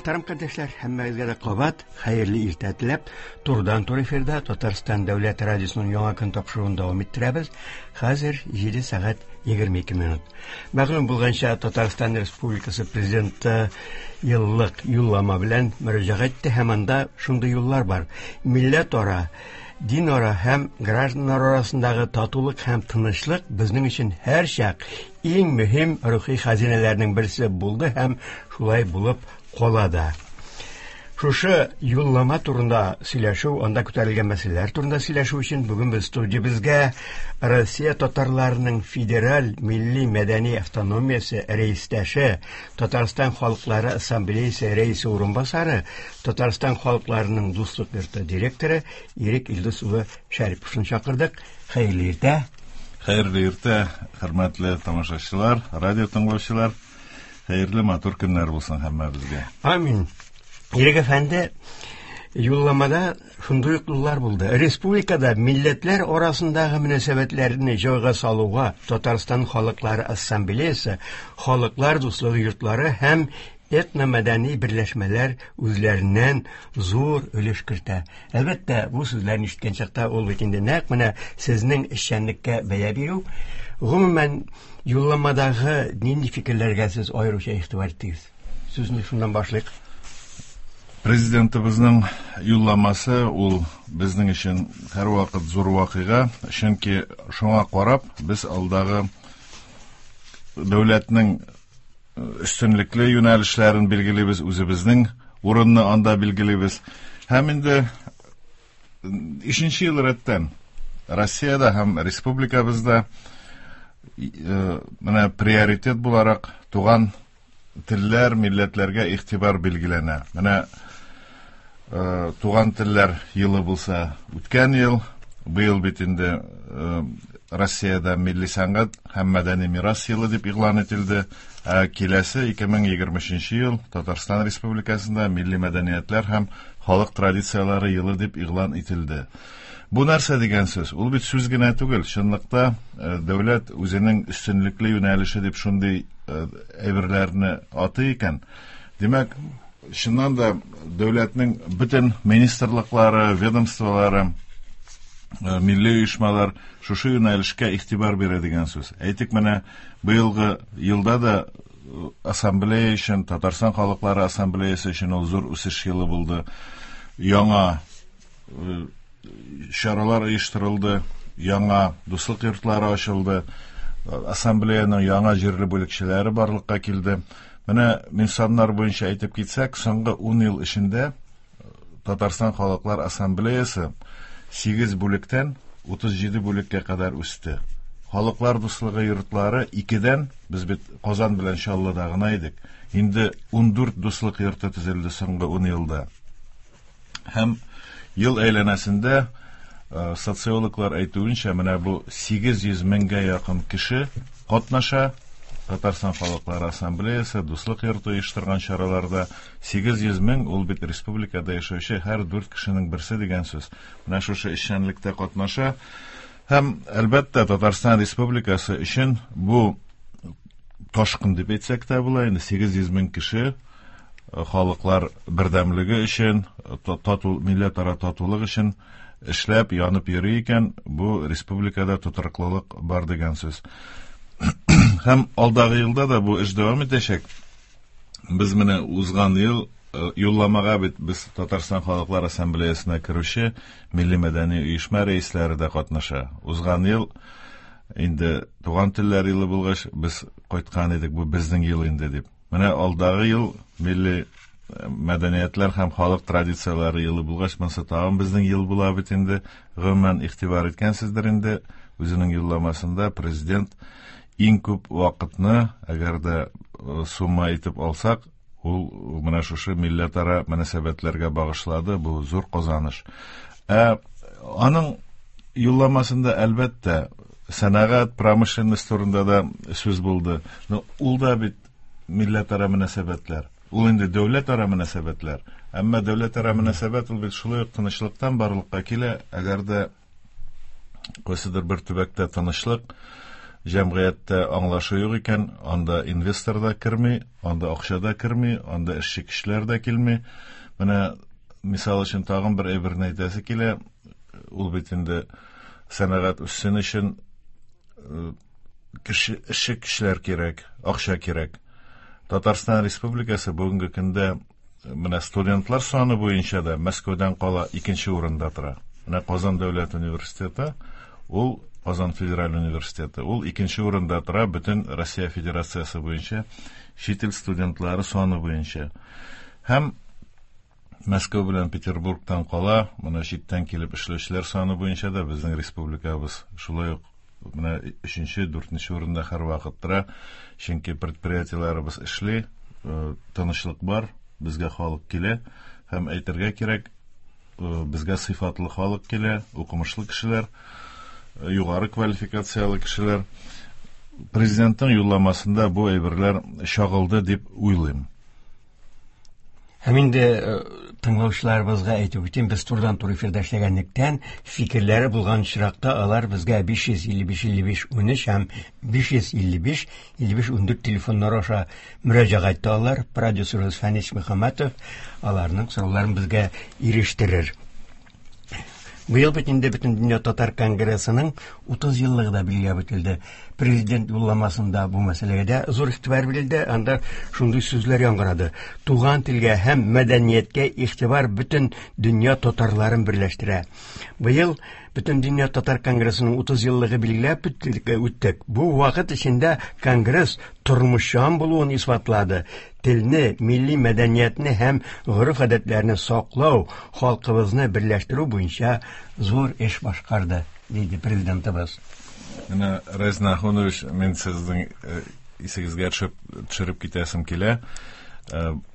Мөхтәрәм кардәшләр, һәммәгезгә дә кабат хәерле иртә теләп, турыдан-туры эфирда Татарстан дәүләт радиосының яңа көн тапшыруын дәвам иттерәбез. Хәзер 7 сәгать 22 минут. Мәгълүм булганча, Татарстан Республикасы Президенты еллык юллама белән мөрәҗәгать итте һәм анда шундый юллар бар. Милләтара, динара һәм гражданнар арасындагы татулык һәм тынычлык безнең өчен һәрчак иң мөһим рухи хәзинәләрнең берсе булды һәм шулай булып кала да. Шушы юллама турында сөйләшү, анда күтәрелгән мәсьәләләр турында сөйләшү өчен бүген без студиябезгә Россия татарларының федераль милли мәдәни автономиясе рәистәше, Татарстан халыклары ассамблеясы рәисе урынбасары, Татарстан халыкларының дуслык йорты директоры Ирек Илдус улы Шәриповны чакырдык. Хәерле иртә. Хәерле иртә, хөрмәтле тамашачылар, радио тыңлаучылар. Хәерле матур көннәр булсын һәммәбезгә. Амин. Ирек әфәнде, юлламада шундый ук юллар булды. Республикада милләтләр арасындагы мөнәсәбәтләрне җайга салуга Татарстан халыклары ассамблеясы, халыклар дуслыгы йортлары һәм этномәдәни берләшмәләр үзләреннән зур өлеш кертә. Әлбәттә, бу сүзләрне ишеткән чакта ул бит инде нәкъ менә сезнең эшчәнлеккә бәя бирү. Гомумән, юлламадагы нинди фикерләргә сез аеруча игътибар иттегез? Сүзне шуннан башлыйк. Президентыбызның юлламасы ул безнең өчен һәрвакыт зур вакыйга, чөнки шуңа карап без алдагы дәүләтнең өстенлекле юнәлешләрен билгелибез, үзебезнең урынны анда билгелибез. Һәм инде өченче ел рәттән Россиядә һәм республикабызда менә приоритет буларак туган телләр, милләтләргә игътибар билгеләнә. Менә туган телләр елы булса үткән ел, быел бит инде Россиядә милли сәнгать һәм мәдәни мирас елы дип игълан ителде. Ә киләсе 2023 ел Татарстан Республикасында милли мәдәниятләр һәм халык традицияләре елы дип игълан ителде. Бу нәрсә дигән сүз? Ул бит сүз генә түгел. Чынлыкта дәүләт үзенең өстенлекле юнәлеше дип шундый әйберләрне атый икән. Димәк, чыннан да дәүләтнең бөтен министрлыклары, ведомстволары, милли оешмалар шушы юнәлешкә игътибар бирә дигән сүз. Әйтик, менә быелгы елда да ассамблея өчен, Татарстан халыклары ассамблеясы өчен ул зур үсеш елы булды. Яңа чаралар оештырылды, яңа дуслык йортлары ачылды, ассамблеяның яңа җирле бүлекчәләре барлыкка килде. Менә мин саннар буенча әйтеп китсәк, соңгы 10 ел эчендә Татарстан халыклар ассамблеясы 8 бүлектән 37 бүлеккә кадәр үсте. Халыклар дуслыгы йортлары 2-дән, без бит Казан белән Чаллыда гына идек, инде 14 дуслык йорты төзелде соңгы 10 елда. Һәм ел әйләнәсендә социологлар әйтүенчә, менә бу 800 меңгә якын кеше катнаша Татарстан халыклары ассамблеясы, дуслык йорты оештырган чараларда. 800 мең ул бит республикада яшәүче һәр 4 кешенең берсе дигән сүз. Менә шушы эшчәнлектә катнаша. Һәм, әлбәттә, Татарстан Республикасы өчен бу ташкын дип әйтсәк тә була, инде 800 мең кеше халыклар бердәмлеге өчен, тату, милләтара татулык өчен эшләп, янып йөри икән, бу республикада тотрыклылык бар дигән сүз. Һәм алдагы елда да бу эш дәвам итәчәк. Без менә узган ел юлламага бит без Татарстан халыклар ассамблеясына керүче милли мәдәни оешма рәисләре дә катнаша. Узган ел инде туган телләр елы булгач, без кайткан идек, бу безнең ел инде дип. Менә алдагы ел милли мәдәниятләр һәм халык традицияләре елы булгач, монысы тагын безнең ел була бит инде. Гомумән, игътибар иткәнсездер инде, үзенең юлламасында президент иң күп вакытны, әгәр дә сумма итеп алсак, ул менә шушы милләтара мөнәсәбәтләргә багышлады, бу зур казаныш. Ә аның юлламасында, әлбәттә, сәнәгать, промышленность турында да сүз булды. Но ул да бит милләтара мөнәсәбәтләр. Ул инде дәүләтара мөнәсәбәтләр. Әмма дәүләтара мөнәсәбәт ул бит шулай ук тынычлыктан барлыкка килә. Әгәр дә кайсыдыр бер төбәктә тынычлык, Җәмгыятьтә аңлашу юк икән, анда инвестор да керми, анда акча да керми, анда эшче кешеләр дә килми. Менә мисал өчен тагын бер әйберне әйтәсе килә. Ул бит инде сәнәгать үссен өчен кеше эшче кешеләр кирәк, акча кирәк. Татарстан Республикасы бүгенге көндә менә студентлар саны буенча да Мәскәүдән кала икенче урында тора. Менә Казан дәүләт университеты, ул Казан федераль университеты, ул икенче урында тора бөтен Россия Федерациясе буенча чит ил студентлары саны буенча. Һәм Мәскәү белән Петербургтан кала, менә читтән килеп эшләүчеләр саны буенча да безнең республикабыз шулай ук менә өченче, дүртенче урында һәрвакыт тора. Чөнки предприятиеләребез эшли, тынычлык бар, безгә халык килә һәм әйтергә кирәк, безгә сыйфатлы халык килә, укымышлы кешеләр, югары квалификацияле кешеләр. Президентның юлламасында бу әйберләр чагылды дип уйлыйм. Һәм инде тыңлаучыларыбызга әйтеп үтим, без турыдан-туры эфирда эшләгәнлектән, фикерләре булган очракта алар безгә 555 55 13 һәм 555 55 14 телефоннары аша мөрәҗәгать итә алар. Продюсерыбыз Фәнис Мөхәммәтов аларның сорауларын безгә ирештерер. Быел бит инде Бөтендөнья татар конгрессының 30 еллыгы да билгеләп үтелде. Президент юлламасында бу мәсьәләгә дә зур игътибар бирелде. Анда шундый сүзләр яңгырады. Туган телгә һәм мәдәнияткә игътибар бөтен дөнья татарларын берләштерә. Быел Бөтендөнья татар конгрессының 30 еллыгы билгеләп үттек. Бу вакыт эчендә конгресс тормышчан булуын исбатлады. Телне, милли мәдәниятне һәм гореф-гадәтләрне саклау, халкыбызны берләштерү буенча зур эш башкарды, диде президентыбыз. Менә, Рәиз Нахунович, мин сезнең исегезгә төшереп китәсем килә.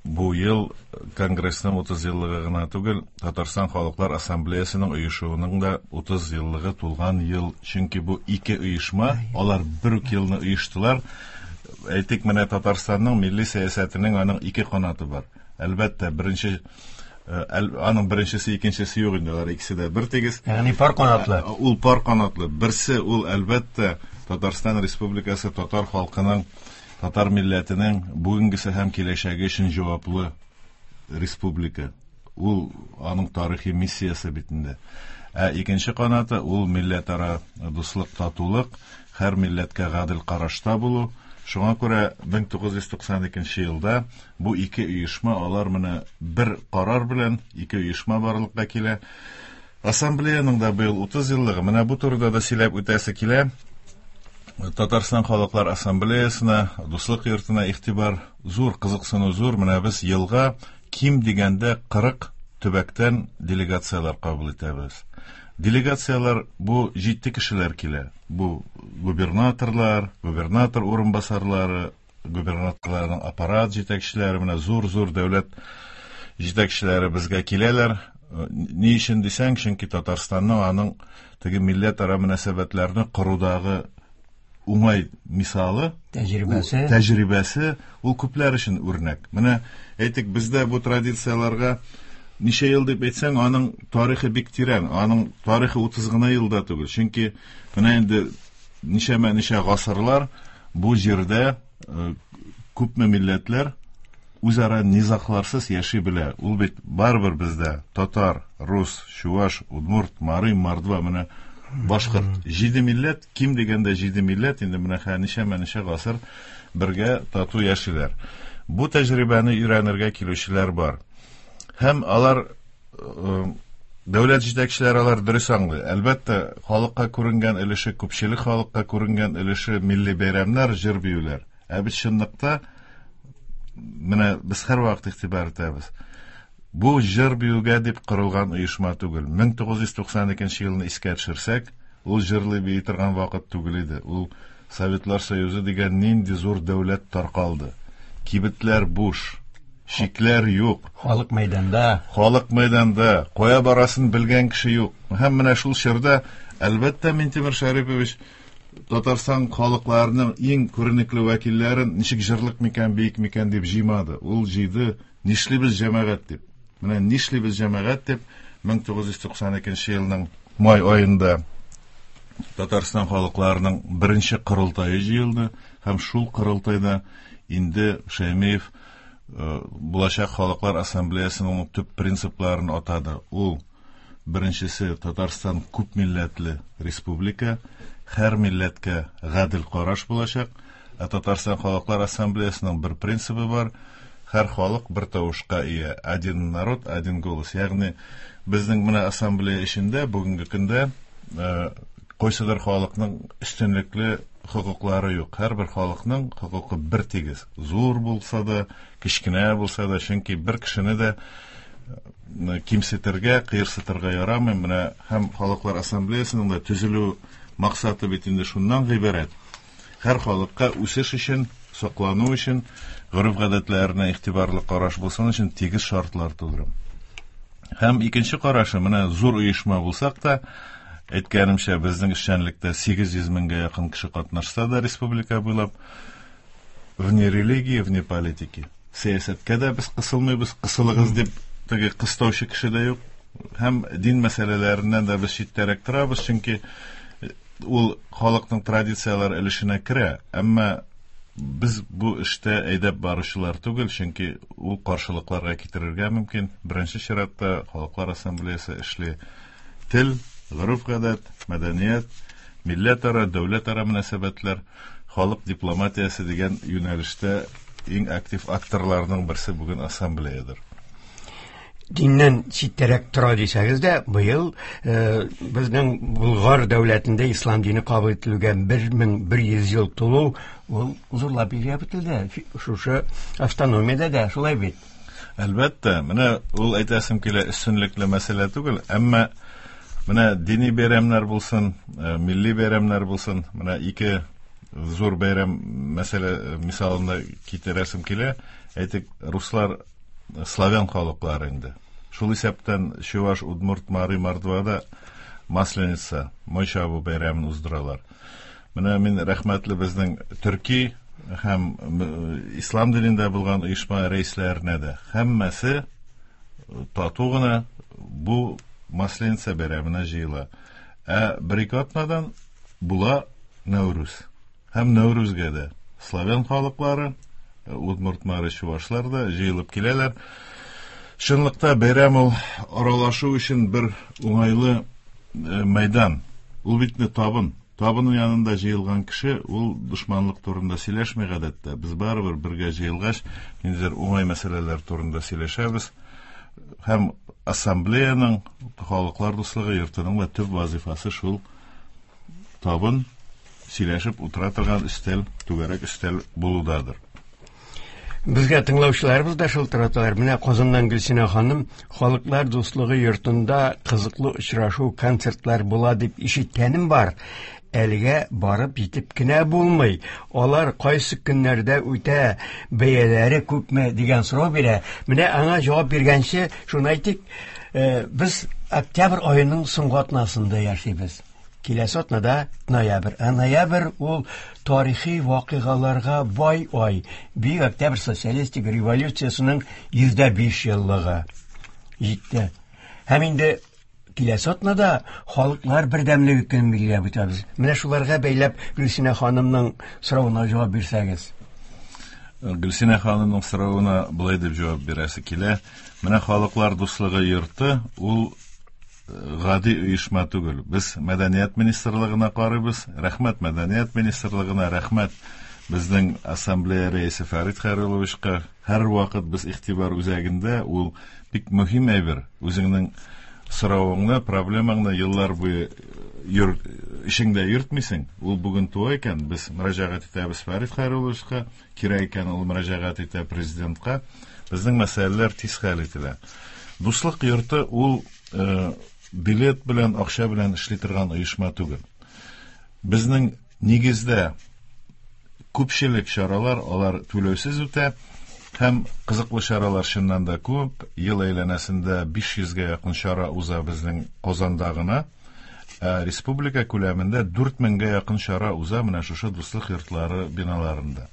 Бу ел Конгрессның 30 еллыгы гына түгел, Татарстан Халыклар Ассамблеясының оешуының да 30 еллыгы тулган ел. Чөнки бу ике оешма, алар бер үк елны оештылар. Әйтик, менә Татарстанның милли сәясәтенең аның ике канаты бар. Әлбәттә, беренче аның беренчесе, икенчесе юк инде, алар икесе дә бер тигез. Ягъни пар канатлы. Ул пар канатлы. Берсе ул әлбәттә Татарстан Республикасы татар халкының, татар милләтенең бүгенгесе һәм киләчәге өчен җаваплы республика. Ул аның тарихи миссиясе бит инде. Ә икенче канаты ул милләтара дуслык, татулык, һәр милләткә гадел карашта булу. Шуңа күрә 1992 елда бу ике оешма, алар менә бер карар белән ике оешма барлыкка килә. Ассамблеяның да быел 30 еллыгы. Менә бу турыда да сөйләп үтәсе килә. Татарстан Халыклар Ассамблеясына, Дуслык йортына игътибар зур, кызыксыну зур. Менә без елга ким дигәндә 40 төбәктән делегацияләр кабул итәбез. Делегацияләр бу җитди кешеләр килә. Бу губернаторлар, губернатор урынбасарлары, губернаторларның аппарат җитәкчеләре, менә зур-зур дәүләт җитәкчеләре безгә киләләр. Ни өчен дисәң, чөнки Татарстанның аның теге милләтара мөнәсәбәтләрне корудагы уңай мисалы, тәҗрибәсе, тәҗрибәсе ул күпләр өчен үрнәк. Менә әйтик, бездә бу традицияләргә ничә ел дип әйтсәң, аның тарихы бик тирән, аның тарихы 30 гына елда түгел. Чөнки менә инде ничәмә-ничә гасырлар бу җирдә күпме милләтләр үзара низагларсыз яши белә. Ул бит барыбер бездә татар, рус, чуваш, удмурт, мари, мордва, менә башкорт. Җиде милләт, ким дигәндә җиде милләт, инде менә ничәмә-ничә гасыр бергә тату яшиләр. Бу тәҗрибәне өйрәнергә килүчеләр бар. Һәм алар дәүләт җитәкчеләре алар дөрес аңлый. Әлбәттә, халыкка күренгән өлеше, күпчелек халыкка күренгән өлеше милли бәйрәмнәр, җыр биюләр. Ә бит чынлыкта менә без һәрвакыт игътибар итәбез. Бу җыр биюгә дип корылган оешма түгел. 1992 елны искә төшерсәк, ул җырлый бии торган вакыт түгел иде. Ул Советлар Союзы дигән нинди зур дәүләт таркалды. Кибетләр буш, шикләр юк. Халык мәйданда. Халык мәйданда. Кая барасын белгән кеше юк. Һәм менә шул чорда, әлбәттә, Минтимер Шәрипович Татарстан халыкларының иң күренекле вәкилләрен ничек җырлык микән, биек микән дип җыймады. Ул җыйды, нишлибез җәмәгать дип. Менә нишлибез җәмәгать дип 1992 елның май аенда Татарстан халыкларының беренче корылтае җыелды һәм шул корылтайда инде Шәймиев булачак халыклар ассамблеясының төп принципларын атады. Ул беренчесе Татарстан күп милләтле республика, һәр милләткә гадел караш булачак. Ә Татарстан халыклар ассамблеясының бер принцибы бар: һәр халык бер тавышка ия. Один народ, один голос. Ягъни безнең менә ассамблея эчендә бүгенге көндә кайсыдыр халыкның өстенлекле хокуклары юк. Һәрбер халыкның хокукы бер тигез. Зур булса да, кечкенә булса да, чөнки бер кешене дә кимсетергә, кыерсытырга ярамый. Менә һәм халыклар ассамблеясының да төзелү максаты бит инде шуннан гыйбарәт. Һәр халыкка үсеш өчен, саклану өчен, гореф-гадәтләренә игътибарлы караш булсын өчен тигез шартлар тудыру. Һәм икенче карашы, менә зур оешма булсак та, әйткәнемчә, безнең эшчәнлектә 800 меңгә якын кеше катнашса да республика буйлап, вне религии, вне политики. Сәясәткә дә без кысылмыйбыз, кысылыгыз дип теге кыстаучы кеше дә юк. Һәм дин мәсьәләләреннән дә без читтәрәк торабыз, чөнки ул халыкның традицияләр өлешенә керә, әмма без бу эштә әйдәп баручылар түгел, чөнки ул каршылыкларга китерергә мөмкин. Беренче чиратта халыклар ассамблеясы эшли. Тел, гореф-гадәт, мәдәният, милләтара, дәүләтара мөнәсәбәтләр, халык дипломатиясе дигән юнәлештә иң актив акторларның берсе бүген ассамблеядыр. Диннән читтәрәк тора дисәгез дә, быел безнең Болгар дәүләтендә ислам дине кабул ителүгә 1100 ел тулу, ул зурлап билгеләп үтелде. Шушы автономиядә дә шулай бит. Әлбәттә, менә ул әйтәсем килә, өстенлекле мәсьәлә түгел, әмма менә дини бәйрәмнәр булсын, милли бәйрәмнәр булсын, менә ике зур бәйрәм мәсьәлә мисалында китерәсем килә. Әйтик, руслар славян халыклары инде. Шул исәптән Чуваш, Удмурт, Мари, Мордвада Масленица, Мой чабу бәйрәмен уздыралар. Менә мин рәхмәтле безнең төрки һәм ислам динендә булган оешма рәисләренә дә. Һәммәсе тату гына бу Масленица бәйрәменә җыела. Ә бер-ике атнадан була Нәүрүз. Һәм Нәүрүзгә дә славян халыклары, удмурт, мари, чувашлар да җыелып киләләр. Чынлыкта бәйрәм ул аралашу өчен бер уңайлы мәйдан. Ул бит инде табын. Табын янында җыелган кеше ул дошманлык турында сөйләшми гадәттә. Без барыбер бергә җыелгач, ниндидер уңай мәсьәләләр турында сөйләшәбез. Һәм ассамблеяның, халыклар дуслыгы йортының да төп вазифасы шул табын, сөйләшеп утыра торган өстәл, түгәрәк өстәл булудадыр. Безгә тыңлаучыларыбыз да шылтыраталар. Менә Казаннан Гөлсинә ханым Халыклар дуслыгы йортында кызыклы очрашу, концертлар була дип ишеткәнем бар. Әлегә барып җитеп кенә булмый. Алар кайсы көннәрдә үтә, бәяләре күпме дигән сорау бирә. Менә аңа җавап биргәнче шуны әйтик, без октябрь аеның соңгы атнасында яшибез. Киләсе атнада ноябрь. Ә ноябрь ул тарихи вакыйгаларга бай ай. Бөек Октябрь социалистик революциясенең 105 еллыгы җитте. Һәм инде киләсе атнада халыклар бердәмлеге көнен билгеләп үтәбез. Менә шуларга бәйләп Гөлсинә ханымның соравына җавап бирсәгез. Гөлсинә ханымның соравына болай дип җавап бирәсе килә. Менә халыклар дуслыгы йорты ул гади оешма түгел. Без Мәдәният министрлыгына карыйбыз. Рәхмәт Мәдәният министрлыгына, рәхмәт безнең ассамблея рәисе Фәрит Хәйрулловичка. Һәрвакыт без игътибар үзәгендә, ул бик мөһим әйбер. Үзеңнең соравыңны, проблемаңны еллар буе эчеңдә йөртмисең. Ул бүген туа икән, без мөрәҗәгать итәбез Фәрит Хәйрулловичка, кирәк икән ул мөрәҗәгать итә президентка. Безнең мәсьәләләр тиз хәл ителә. Дуслык йорты ул билет белән, акча белән эшли торган оешма түгел. Безнең нигездә күпчелек чаралар алар түләүсез үтә һәм кызыклы чаралар чыннан да күп. Ел әйләнәсендә 500гә якын чара уза безнең Казанда гына. Ә республика күләмендә 4000гә якын чара уза менә шушы дуслык йортлары биналарында.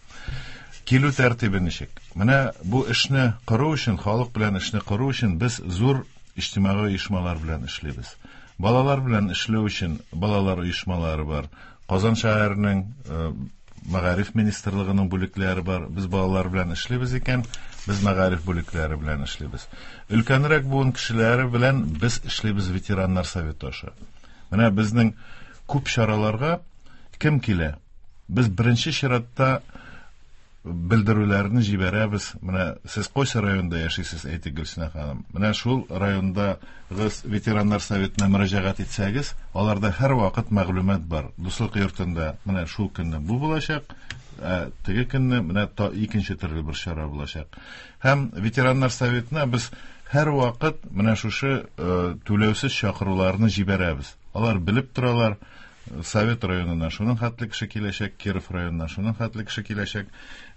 Килү тәртибе ничек? Менә бу эшне кору өчен, халык белән эшне кору өчен без зур иҗтимагый оешмалар белән эшлибез. Балалар белән эшләү өчен балалар оешмалары бар. Казан шәһәренең Мәгариф министрлыгының бүлекләре бар. Без балалар белән эшлибез икән, без мәгариф бүлекләре белән эшлибез. Өлкәнрәк буын кешеләре белән без эшлибез ветераннар советы аша. Менә безнең күп чараларга кем килә? Без беренче чиратта белдерүләрне җибәрәбез. Менә сез кайсы районда яшисез, әйтик, Гөлсинә ханым. Менә шул райондагы ветераннар советына мөрәҗәгать итсәгез, аларда һәрвакыт мәгълүмат бар. Дуслык йортында менә шул көнне бу булачак, ә теге көнне менә икенче төрле бер чара булачак. Һәм ветераннар советына без һәрвакыт менә шушы түләүсез чакыруларны җибәрәбез. Алар белеп торалар, Совет районыннан шуның хәтле кеше киләчәк, Киров районыннан шуның хәтле кеше киләчәк.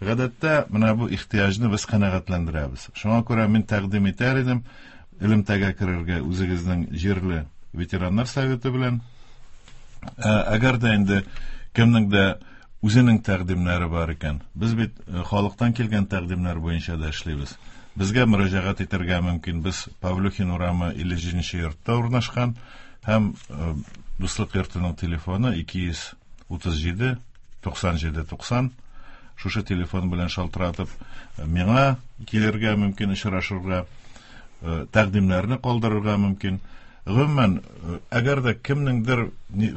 Гадәттә, менә бу ихтыяҗны без канәгатьләндерәбез. Шуңа күрә мин тәкъдим итәр идем, элемтәгә керергә үзегезнең җирле ветераннар советы белән. Әгәр дә инде кемнең дә үзенең тәкъдимнәре бар икән, без бит халыктан килгән тәкъдимнәр буенча да эшлибез. Безгә мөрәҗәгать итәргә мөмкин. Без Павлюхин урамы 57 йортта урнашкан. Һәм Дуслык йортының телефоны 237 97 90. Шушы телефон белән шалтыратып, миңа килергә мөмкин, очрашырга, тәкъдимнәрне калдырырга мөмкин. Гомумән, әгәр дә кемнеңдер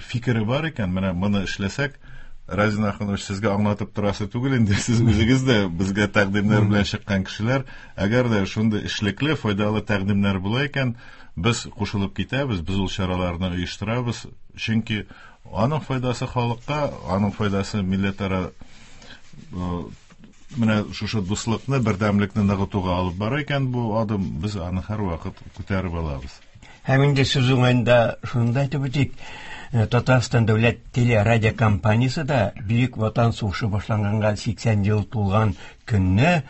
фикере бар икән, менә моны эшләсәк, Разин Ахунович, сезгә аңлатып торасы түгел инде, сез үзегез дә безгә тәкъдимнәр белән чыккан кешеләр. Әгәр дә шундый эшлекле, файдалы тәкъдимнәр була икән, без кушылып китәбез, без ул чараларны оештырабыз, чөнки аның файдасы халыкка, аның файдасы милләтара менә шушы дуслыкны, бердәмлекне ныгытуга алып бара икән бу адым, без аны һәрвакыт күтәреп алабыз. Һәм инде сүз уңаенда шуны да әйтеп үтик, Татарстан дәүләт телерадиокомпаниясе дә Бөек Ватан сугышы башланганга 80 ел тулган көнне,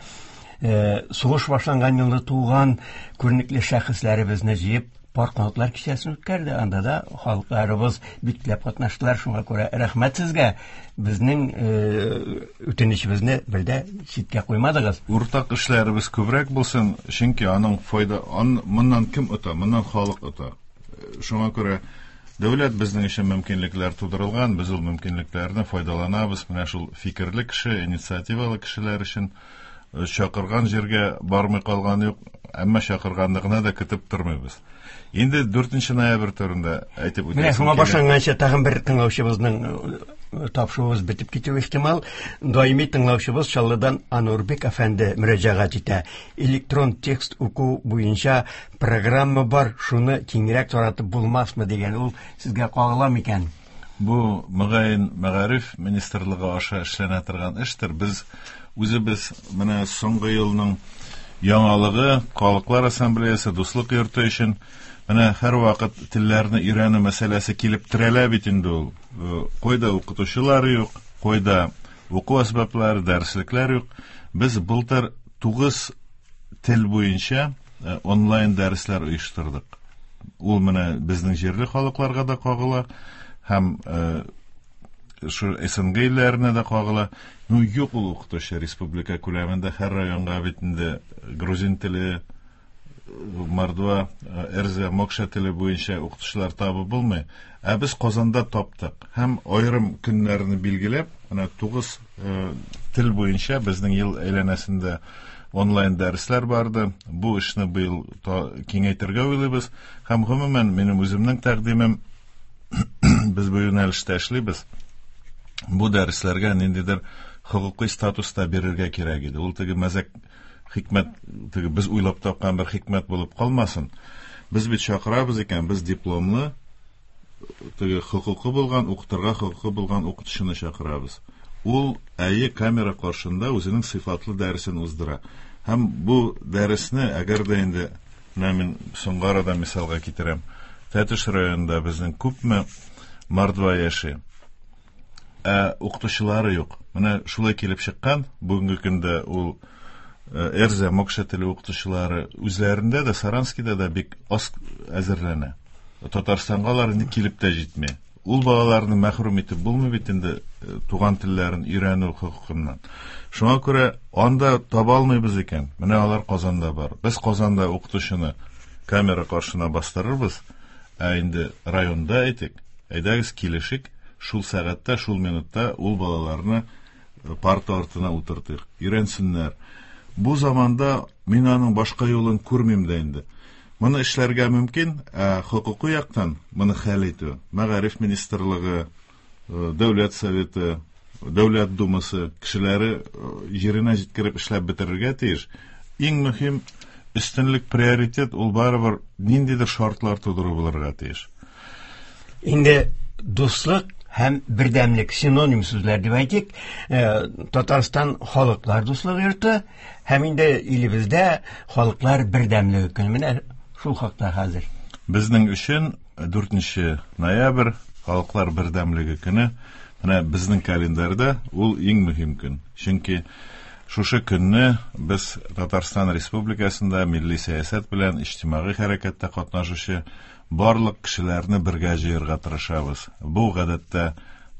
сугыш башланган елны туган күренекле шәхесләребезне җыеп, пар канатлар кичәсен үткәрде. Анда да халыкларыбыз бик теләп катнаштылар. Шуңа күрә рәхмәт сезгә. Безнең үтенечебезне бер дә читкә куймадыгыз. Уртак эшләребез күбрәк булсын, чөнки аның файда, моннан кем ота? Моннан халык ота. Шуңа күрә дәүләт безнең өчен мөмкинлекләр тудырылган, без ул мөмкинлекләрне файдаланабыз. Менә шул фикерле кеше, инициативалы кешеләр өчен чакырган җиргә бармый калган юк, әмма чакырганны гына да көтеп тормыйбыз. Инде 4 ноябрь турында әйтеп үтәсем. Менә шуңа башланганча тагын бер тыңлаучыбызның тапшыруыбыз бетеп китүе ихтимал. Даими тыңлаучыбыз Чаллыдан Анурбек әфәнде мөрәҗәгать итә. Электрон текст уку буенча программа бар, шуны киңрәк таратып булмасмы дигән. Ул сезгә кагыла микән? Бу мөгаен мәгариф министрлыгы аша эшләнә торган эштер. Без үзебез менә соңгы елның яңалыгы Халыклар ассамблеясы Дуслык йорты өчен менә һәрвакыт телләрне өйрәнү мәсьәләсе килеп терәлә бит инде ул. Кайда укытучылар юк, кайда уку әсбаплары, дәреслекләр юк. Без былтыр 9 тел буенча онлайн дәресләр оештырдык. Ул менә безнең җирле халыкларга да кагыла һәм шу СНГ илләренә дә кагыла. Ну, юк ул укытучы республика күләмендә һәр районга бит инде грузин теле, мордва, эрзя, мокша теле буенча укытучылар табып булмый. Ә без Казанда таптык. Һәм аерым көннәрне билгеләп, менә 9 тел буенча безнең ел әйләнәсендә онлайн дәресләр барды. Бу эшне быел киңәйтергә уйлыйбыз. Һәм гомумән минем үземнең тәкъдимем, без бу юнәлештә эшлибез. Бу дәресләргә ниндидер хокукый статус та бирергә кирәк иде. Ул теге мәзәк хикмәт, теге без уйлап тапкан бер хикмәт булып калмасын. Без бит чакырабыз икән, без дипломлы, теге хокукы булган, укытырга хокукы булган укытучыны чакырабыз. Ул әйе камера каршында үзенең сыйфатлы дәресен уздыра. Һәм бу дәресне, әгәр дә инде менә мин соңгы арада мисалга китерәм, Тәтеш районында безнең күпме мордва яши, ә укытучылары юк. Менә шулай килеп чыккан, бүгенге көндә ул эрзя, мокша теле укытучылары үзләрендә дә, Саранскида да бик аз әзерләнә. Татарстанга алар инде килеп тә җитми. Ул балаларны мәхрүм итеп булмый бит инде туган телләрен өйрәнү хокукыннан. Шуңа күрә анда таба алмыйбыз икән. Менә алар Казанда бар. Без Казанда укытучыны камера каршына бастырырбыз. Ә инде районда әйтик, әйдәгез килешик, шул сәгатьтә, шул минутта ул балаларны парта артына утыртыйк, өйрәнсеннәр. Бу заманда мин аның башка юлын күрмим дә инде. Моны эшләргә мөмкин, ә хокукый яктан моны хәл итү Мәгариф министрлыгы, Дәүләт советы, Дәүләт думасы кешеләре җиренә җиткереп эшләп бетерергә тиеш. Иң мөһим өстенлек, приоритет ул барыбер ниндидер шартлар тудыру булырга тиеш. Инде дуслык һәм бердәмлек синоним сүзләр дип әйтик. Татарстан халыклар дуслыгы йорты һәм инде илебездә халыклар бердәмлеге көне. Менә шул хакта хәзер. Безнең өчен 4 ноябрь халыклар бердәмлеге көне. Менә безнең календарьда ул иң мөһим көн. Чөнки шушы көнне без Татарстан Республикасында милли сәясәт белән иҗтимагый хәрәкәттә катнашучы барлык кешеләрне бергә җыярга тырышабыз. Бу гадәттә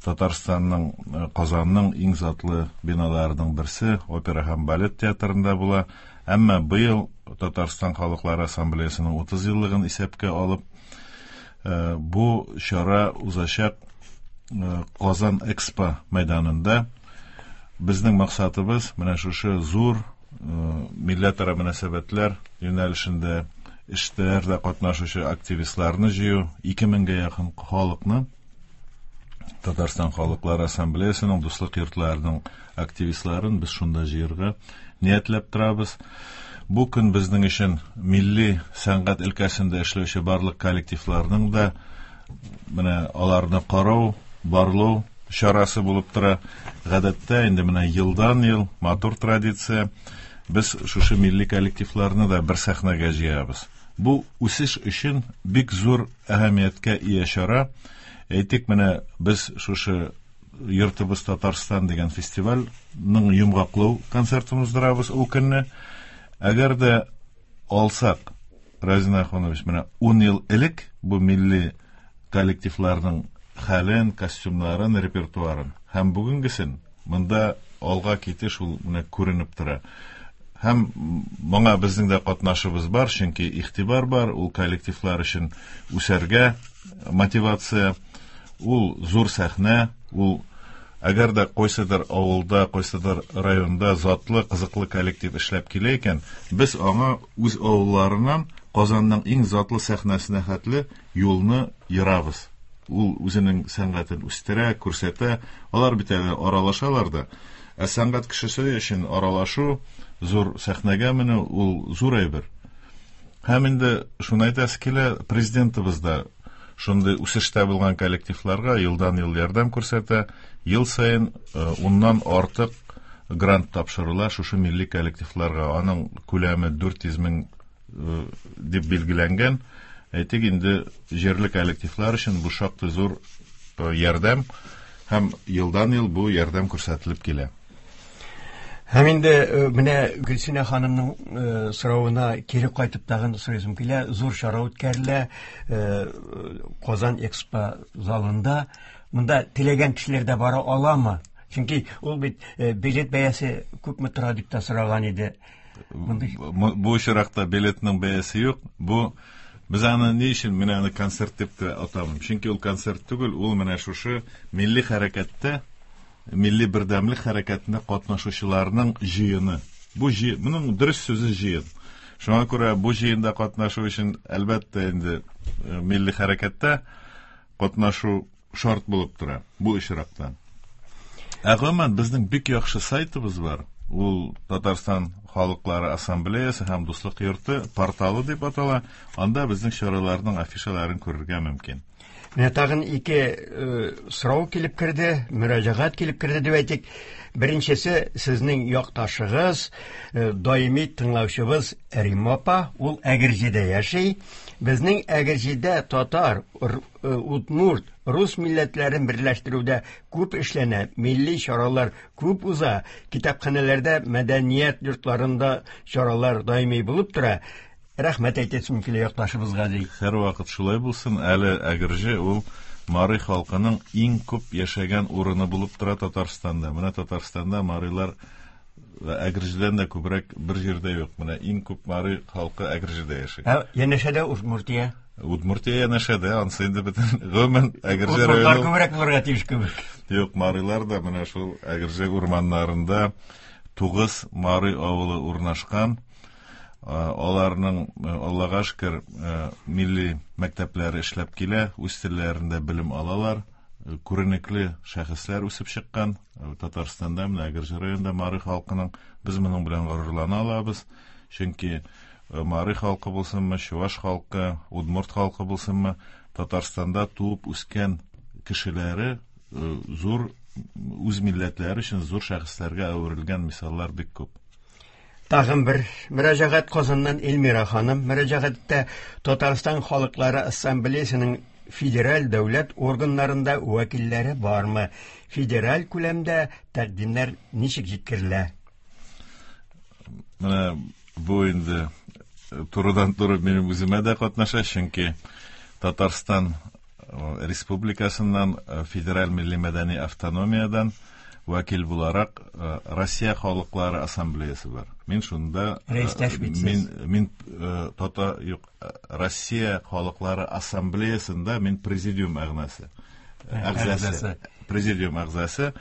Татарстанның, Казанның иң затлы биналарының берсе опера һәм балет театрында була. Әмма быел Татарстан халыклары ассамблеясының 30 еллыгын исәпкә алып, бу чара узачак Казан Экспо мәйданында. Безнең максатыбыз менә шушы зур милләтара мөнәсәбәтләр юнәлешендә эшләрдә катнашучы активистларны җыю, 2000гә якын халыкны Татарстан халыклары ассамблеясының дуслык йортларының активистларын без шунда җыярга ниятләп торабыз. Бу көн безнең өчен милли сәнгать өлкәсендә эшләүче барлык коллективларның да менә аларны карау, барлау чарасы булып тора. Гадәттә инде менә елдан-ел матур традиция без шушы милли коллективларны да бер сәхнәгә җыябыз. Бу үсеш өчен бик зур әһәмияткә ия чара. Әйтик, менә без шушы Йортыбыз Татарстан дигән фестивальнең йомгаклау концертын уздырабыз ул көнне. Әгәр дә алсак, Разин Ахунович, менә 10 ел элек бу милли коллективларның хәлен, костюмнарын, репертуарын һәм бүгенгесен монда алга китеш ул менә күренеп тора. Һәм моңа безнең дә катнашыбыз бар, чөнки игътибар бар, ул коллективлар өчен үсәргә мотивация, ул зур сәхнә, ул әгәр дә кайсыдыр авылда, кайсыдыр районда затлы, кызыклы коллектив эшләп килә икән, без аңа үз авылларыннан Казанның иң затлы сәхнәсенә хәтле юлны ерабыз. Ул үзенең сәнгатен үстерә, күрсәтә. Алар бит әле аралашалар да. Ә сәнгать кешесе өчен аралашу, зур сәхнәгә менү ул зур әйбер. Һәм инде шуны әйтәсе килә, президентыбыз да шундый үсештә булган коллективларга елдан-ел ярдәм күрсәтә. Ел саен уннан артык грант тапшырыла шушы милли коллективларга. Аның күләме 400 мең дип билгеләнгән. Әйтик, инде җирле коллективлар өчен бу шактый зур ярдәм һәм елдан-ел бу ярдәм күрсәтелеп килә. Һәм инде менә Гөлсинә ханымның соравына кире кайтып тагын сорыйсым килә. Зур чара үткәрелә Казан Экспо залында. Монда теләгән кешеләр дә бара аламы? Чөнки ул бит билет бәясе күпме тора дип тә сораган иде. Бу очракта билетның бәясе юк. Бу без аны ни өчен менә аны концерт дип тә атамыйм. Чөнки ул концерт түгел, ул менә шушы милли хәрәкәттә, милли бердәмлек хәрәкәтендә катнашучыларның җыены. Бу җыен, моның дөрес сүзе җыен. Шуңа күрә бу җыенда катнашу өчен әлбәттә инде милли хәрәкәттә катнашу шарт булып тора бу очракта. Ә гомумән безнең бик яхшы сайтыбыз бар. Ул Татарстан халыклары ассамблеясы һәм Дуслык йорты порталы дип атала. Анда безнең чараларның афишаларын күрергә мөмкин. Менә тагын ике сорау килеп керде, мөрәҗәгать килеп керде дип әйтик. Беренчесе сезнең якташыгыз, даими тыңлаучыбыз Римма апа, ул Әгерҗедә яши. Безнең Әгерҗедә татар, удмурт, рус милләтләрен берләштерүдә күп эшләнә, милли чаралар күп уза, китапханәләрдә, мәдәният йортларында чаралар даими булып тора. Рәхмәт әйтәсем килә якташыбызга, ди. Һәрвакыт шулай булсын. Әле Әгерҗе ул мари халкының иң күп яшәгән урыны булып тора Татарстанда. Менә Татарстанда марилар Әгерҗедән дә күбрәк бер җирдә юк. Менә иң күп мари халкы Әгерҗедә яши. Ә янәшәдә Удмуртия. Удмуртия янәшәдә, ансы инде бөтен гомумән Әгерҗе районы. Күбрәк булырга тиеш кебек. Юк, марилар да менә шул Әгерҗе урманнарында 9 мари авылы урнашкан. Аларның, Аллага шөкер, милли мәктәпләре эшләп килә, үз телләрендә белем алалар. Күренекле шәхесләр үсеп чыккан. Татарстанда, менә Әгерҗе районында мари халкының без моның белән горурлана алабыз. Чөнки мари халкы булсынмы, чуваш халкы, удмурт халкы булсынмы, Татарстанда туып үскән кешеләре зур үз милләтләре өчен зур шәхесләргә әверелгән мисаллар бик күп. Тагын бер мөрәҗәгать Казаннан Эльмира ханым. Мөрәҗәгатьтә Татарстан халыклары ассамблеясының федераль дәүләт органнарында вәкилләре бармы? Федераль күләмдә тәкъдимнәр ничек җиткерелә? Менә бу инде турыдан-туры минем үземә дә катнаша, чөнки Татарстан Республикасыннан Федераль милли мәдәни автономиядән вәкил буларак Россия халыклары ассамблеясы бар. Мин шунда рәистәш бит Мин мин тата юк Россия халыклары ассамблеясында мин президиум әгъзасы. Әгъзасы. Президиум әгъзасы.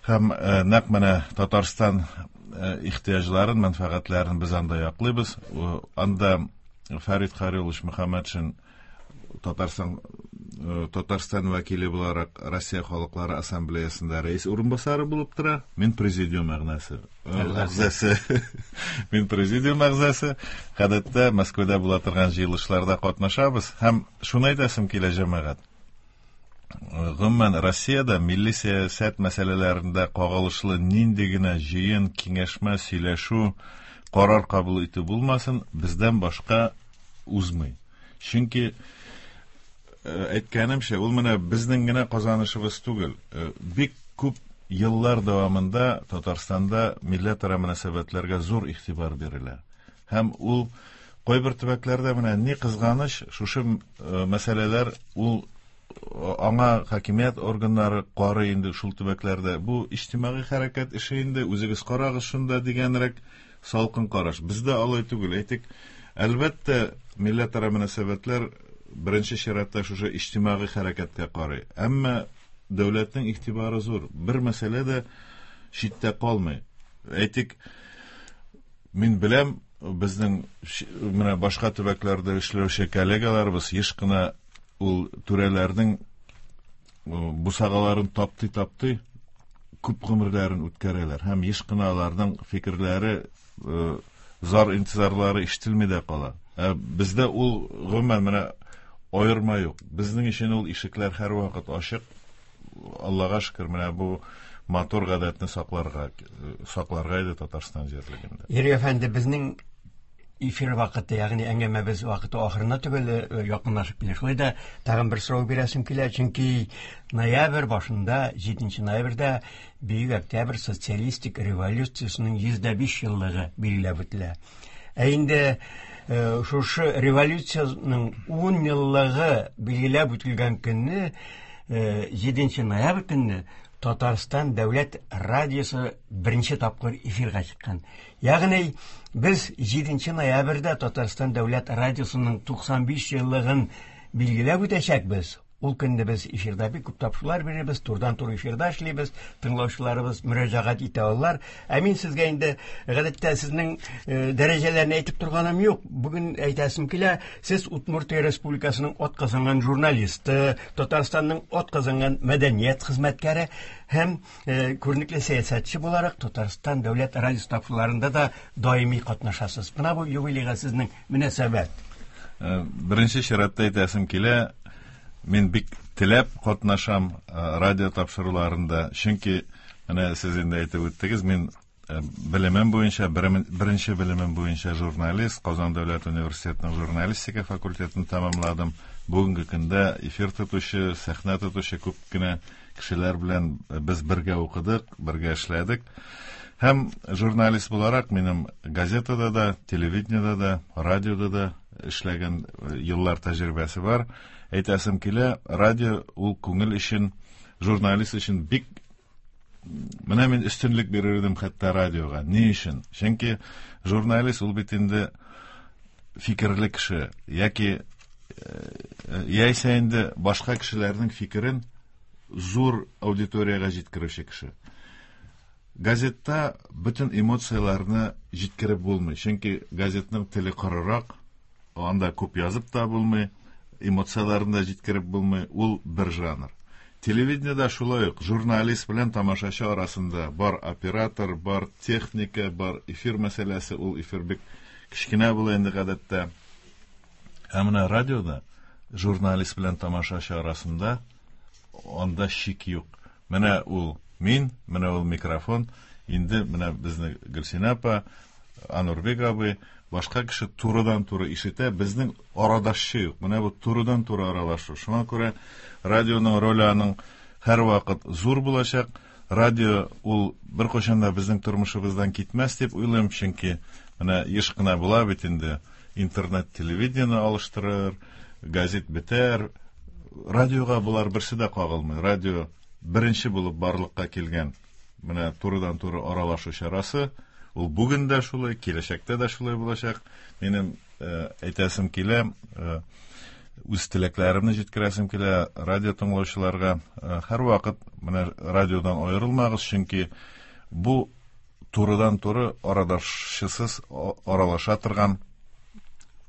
Һәм нәкъ менә Татарстан ихтыяҗларын, мәнфәгатьләрен без анда яклыйбыз. Анда Фәрит Харилович Мөхәммәтшин Татарстан Татарстан вәкиле буларак Россия халыклары ассамблеясында рәис урынбасары булып тора. Мин президиум әгъзасы. Әгъзасы. Мин президиум әгъзасы. Гадәттә Мәскәүдә була торган җыелышларда катнашабыз һәм шуны әйтәсем килә, җәмәгать. Гомумән, Россиядә милли сәясәт мәсьәләләрендә кагылышлы нинди генә җыен, киңәшмә, сөйләшү, карар кабул итү булмасын, бездән башка узмый. Чөнки әйткәнемчә, ул менә безнең генә казанышыбыз түгел. Бик күп еллар дәвамында Татарстанда милләтара мөнәсәбәтләргә зур игътибар бирелә. Һәм ул кайбер төбәкләрдә менә ни кызганыч, шушы мәсьәләләр ул аңа хакимият органнары карый инде шул төбәкләрдә. Бу иҗтимагый хәрәкәт эше инде, үзегез карагыз шунда дигәнрәк салкын караш. Бездә алай түгел. Әйтик, әлбәттә, милләтара мөнәсәбәтләр беренче чиратта шушы иҗтимагый хәрәкәткә карый. Әмма дәүләтнең игътибары зур. Бер мәсьәлә дә читтә калмый. Әйтик, мин беләм, безнең менә башка төбәкләрдә эшләүче коллегаларыбыз еш кына ул түрәләрнең бусагаларын таптый-таптый күп гомерләрен үткәрәләр һәм еш кына аларның фикерләре, зар интизарлары ишетелми дә кала. Ә бездә ул гомумән менә аерма юк. Безнең өчен ул ишекләр һәрвакыт ачык. Аллага шөкер, менә бу матур гадәтне сакларга сакларга иде Татарстан җирлегендә. Юрий әфәнде, безнең эфир вакыты, ягъни әңгәмәбез вакыты ахырына төгәл якынлашып килә. Шулай да тагын бер сорау бирәсем килә, чөнки ноябрь башында, 7 ноябрьдә Бөек Октябрь социалистик революциясенең 105 еллыгы билгеләп үтелә. Ә инде шушы революциянең 10 еллыгы билгеләп үтелгән көнне, 7 ноябрь көнне Татарстан дәүләт радиосы беренче тапкыр эфирга чыккан. Ягъни без 7 ноябрьдә Татарстан дәүләт радиосының 95 еллыгын билгеләп үтәчәкбез. Ул көнне без эфирда бик күп тапшырулар бирәбез, турыдан-туры эфирда эшлибез, тыңлаучыларыбыз мөрәҗәгать итә алалар. Ә мин сезгә инде гадәттә сезнең дәрәҗәләрне әйтеп торганым юк. Бүген әйтәсем килә, сез Удмуртия Республикасының атказанган журналисты, Татарстанның атказанган мәдәният хезмәткәре һәм күренекле сәясәтче буларак Татарстан дәүләт радиосы тапшыруларында да даими катнашасыз. Менә бу юбилейга сезнең мөнәсәбәт. Беренче чиратта әйтәсем килә, мин бик теләп катнашам радио тапшыруларында, чөнки менә сез инде әйтеп үттегез, мин белемем буенча, беренче белемем буенча журналист, Казан дәүләт университетының журналистика факультетын тәмамладым. Бүгенге көндә эфир тотучы, сәхнә тотучы күп кенә кешеләр белән без бергә укыдык, бергә эшләдек. Һәм журналист буларак минем газетада да, телевидениедә дә, радиода да эшләгән еллар тәҗрибәсе бар. Әйтәсем килә, радио ул күңел өчен, журналист өчен бик менә мин өстенлек бирер идем хәтта радиога. Ни өчен? Чөнки журналист ул бит инде фикерле кеше яки Яисә инде башка кешеләрнең фикерен зур аудиториягә җиткерүче кеше. Газетта бөтен эмоцияләрне җиткереп булмый, чөнки газетның теле корырак, анда күп язып та булмый, эмоцияләрне дә җиткереп булмый, ул бер жанр. Телевидениедә шулай ук журналист белән тамашачы арасында бар оператор, бар техника, бар эфир мәсьәләсе, ул эфир бик кечкенә була инде гадәттә. Ә менә радиода журналист белән тамашачы арасында анда шик юк. Менә ул мин, менә ул микрофон, инде менә безне Гөлсинә апа, Анурбек абый, башка кеше турыдан-туры ишетә, безнең арадашчы юк. Менә бу турыдан-туры аралашу. Шуңа күрә радионың роле аның һәрвакыт зур булачак. Радио ул беркайчан да безнең тормышыбыздан китмәс дип уйлыйм, чөнки менә еш кына була бит инде интернет телевидениене алыштырыр, газет бетәр. Радиога болар берсе дә кагылмый. Радио беренче булып барлыкка килгән менә турыдан-туры аралашу чарасы. Ул бүген дә шулай, киләчәктә дә шулай булачак. Минем әйтәсем килә, үз теләкләремне җиткерәсем килә радио тыңлаучыларга. Һәрвакыт менә радиодан аерылмагыз, чөнки бу турыдан-туры арадашчысыз аралаша торган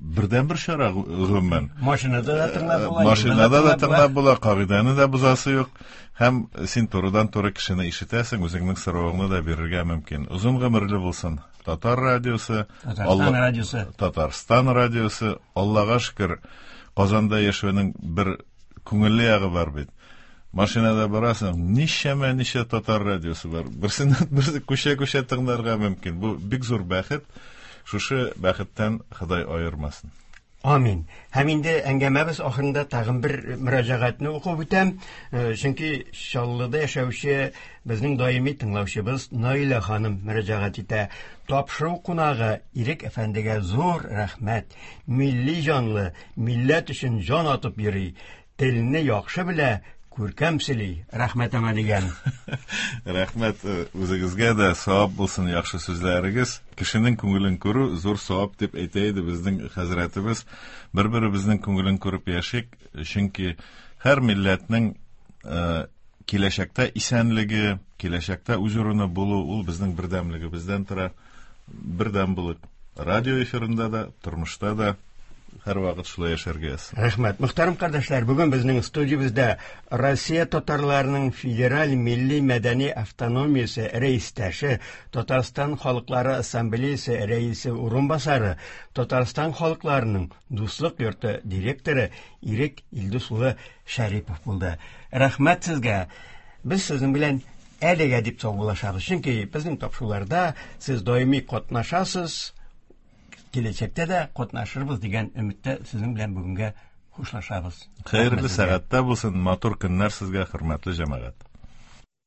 бердәнбер чара гомумән. Машинада да тыңлап була, Машинада да тыңлап була, кагыйдәне дә бозасы юк. Һәм син турыдан-туры кешене ишетәсең, үзеңнең соравыңны да бирергә мөмкин. Озын гомерле булсын Татар радиосы, Татарстан радиосы. Татарстан радиосы. Аллага шөкер, Казанда яшәүнең бер күңелле ягы бар бит. Машинада барасың, ничәмә ничә татар радиосы бар. Берсеннән берсе күчә-күчә тыңларга мөмкин. Бу бик зур бәхет. Шушы бәхеттән Ходай аермасын. Амин. Һәм инде әңгәмәбез ахырында тагын бер мөрәҗәгатьне укып үтәм. Чөнки Чаллыда яшәүче безнең даими тыңлаучыбыз Наилә ханым мөрәҗәгать итә. Тапшыру кунагы Ирек әфәндегә зур рәхмәт. Милли җанлы, милләт өчен җан атып йөри. Телне яхшы белә, күркәм сөйли. Рәхмәт аңа дигән. Рәхмәт үзегезгә дә, савап булсын яхшы сүзләрегез. Кешенең күңелен күрү зур савап дип әйтә иде безнең хәзрәтебез. Бер-беребезнең күңелен күреп яшик, чөнки һәр милләтнең киләчәктә исәнлеге, киләчәктә үз урыны булу ул безнең бердәмлегебездән тора. Бердәм булып радио эфирында да, тормышта да һәрвакыт шулай яшәргә язсын. Рәхмәт. Мөхтәрәм кардәшләр, бүген безнең студиябездә Россия татарларының федераль милли мәдәни автономиясе рәистәше, Татарстан халыклары ассамблеясы рәисе урынбасары, Татарстан халыкларының дуслык йорты директоры Ирек Илдус улы Шәрипов булды. Рәхмәт сезгә. Без сезнең белән әлегә дип саубуллашабыз. Чөнки безнең тапшыруларда сез даими катнашасыз, киләчәктә дә катнашырбыз дигән өметтә сезнең белән бүгенгә хушлашабыз. Хәерле сәгатьтә булсын, матур көннәр сезгә, хөрмәтле җәмәгать.